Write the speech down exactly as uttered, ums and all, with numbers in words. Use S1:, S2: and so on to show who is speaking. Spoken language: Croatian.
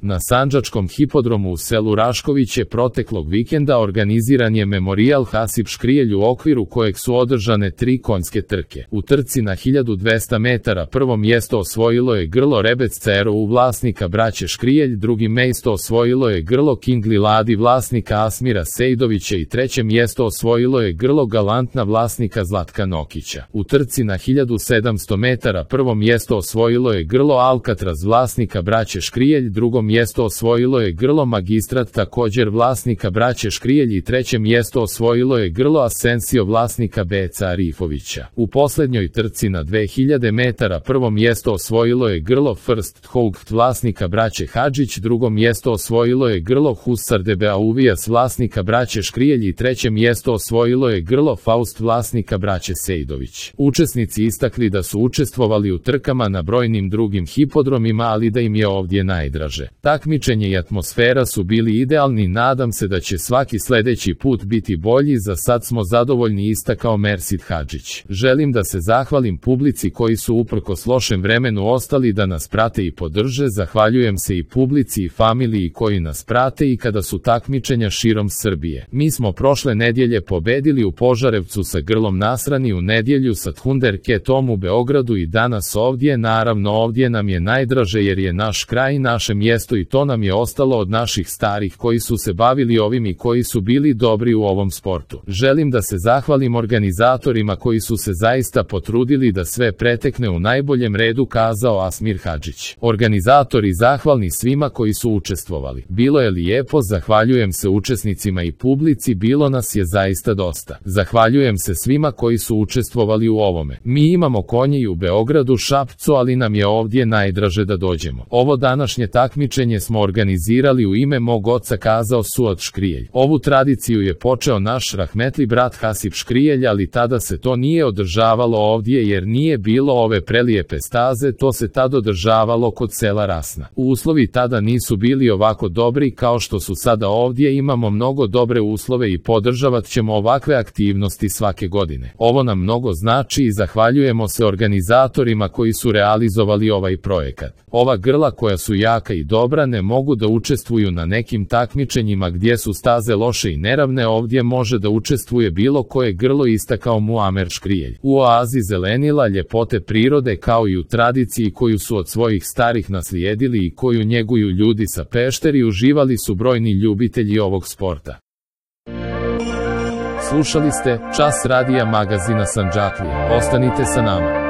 S1: Na Sandžačkom hipodromu u selu Raškoviće proteklog vikenda organiziran je memorijal Hasip Škrijelj u okviru kojeg su održane tri konjske trke. U trci na hiljadu dvesta metara prvo mjesto osvojilo je grlo Rebec Cero u vlasnika braće Škrijelj, drugi mjesto osvojilo je grlo Kingli Ladi vlasnika Asmira Sejdovića i treće mjesto osvojilo je grlo Galantna vlasnika Zlatka Nokića. U trci na hiljadu sedamsto metara prvo mjesto osvojilo je grlo Alcatraz vlasnika braće Škrijelj, drugo mjesto osvojilo je grlo Magistrat također vlasnika braće Škrijelj i treće mjesto osvojilo je grlo Asensio vlasnika Beca Arifovića. U posljednjoj trci na dve hiljade metara prvo mjesto osvojilo je grlo First Hougt vlasnika braće Hadžić, drugo mjesto osvojilo je grlo Husar de Beauvijas vlasnika braće Škrijelj i treće mjesto osvojilo je grlo Faust vlasnika braće Sejdović. Učesnici istakli da su učestvovali u trkama na brojnim drugim hipodromima, ali da im je ovdje najdraže. Takmičenje i atmosfera su bili idealni, nadam se da će svaki sljedeći put biti bolji, za sad smo zadovoljni, istakao Mersid Hadžić. Želim da se zahvalim publici koji su uprkos lošem vremenu ostali da nas prate i podrže, zahvaljujem se i publici i familiji koji nas prate i kada su takmičenja širom Srbije. Mi smo prošle nedjelje pobedili u Požarevcu sa grlom Nasrani, u nedjelju sa Thundercatom u Beogradu i danas ovdje. Naravno ovdje nam je najdraže jer je naš kraj, naše mjesto i to nam je ostalo od naših starih koji su se bavili ovim i koji su bili dobri u ovom sportu. Želim da se zahvalim organizatorima koji su se zaista potrudili da sve pretekne u najboljem redu, kazao Asmir Hadžić. Organizatori zahvalni svima koji su učestvovali. Bilo je lijepo, zahvaljujem se učesnicima i publici, bilo nas je zaista dosta. Zahvaljujem se svima koji su učestvovali u ovome. Mi imamo konje i u Beogradu, Šapcu, ali nam je ovdje najdraže da dođemo. Ovo današnje takmičenje smo organizirali u ime mog oca, kazao Suad Škrijelj. Ovu tradiciju je počeo naš rahmetli brat Hasip Škrijelj, ali tada se to nije održavalo ovdje jer nije bilo ove prelijepe staze, to se tad održavalo kod sela Rasna. Uslovi tada nisu bili ovako dobri kao što su sada. Ovdje imamo mnogo dobre uslove i podržavat ćemo ovakve aktivnosti svake godine. Ovo nam mnogo znači i zahvaljujemo se organizatorima koji su realizovali ovaj projekat. Ova grla koja su jaka i dobra ne mogu da učestvuju na nekim takmičenjima gdje su staze loše i neravne, ovdje može da učestvuje bilo koje grlo, istakao Muamer Škrijelj. U oazi zelenila, ljepote prirode kao i u tradiciji koju su od svojih starih naslijedili i koju njeguju ljudi sa Pešteri, uživali su brojni ljubitelji ovog sporta. Slušali ste Čas radija magazina Sandžaklija. Ostanite sa nama.